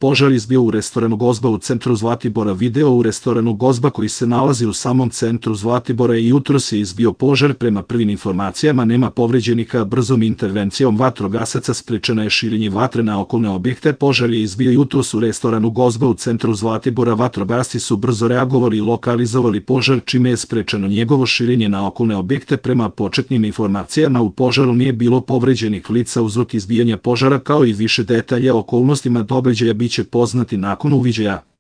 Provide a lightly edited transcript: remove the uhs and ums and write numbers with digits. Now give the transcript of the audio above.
Požar izbio u restoranu Gozba u centru Zlatibora. Video u restoranu Gozba koji se nalazi u samom centru Zlatibora i jutros je izbio požar. Prema prvim informacijama nema povređenika. Brzom intervencijom vatrogasaca sprečeno je širenje vatre na okolne objekte. Požar je izbio jutros u restoranu Gozba u centru Zlatibora. Vatrogasci su brzo reagovali i lokalizovali požar, čime je sprečeno njegovo širenje na okolne objekte. Prema početnim informacijama u požaru nije bilo povređenih lica. Uzrok izbijanja požara kao i više detalja o okolnostima događaja biće poznati nakon uviđaja.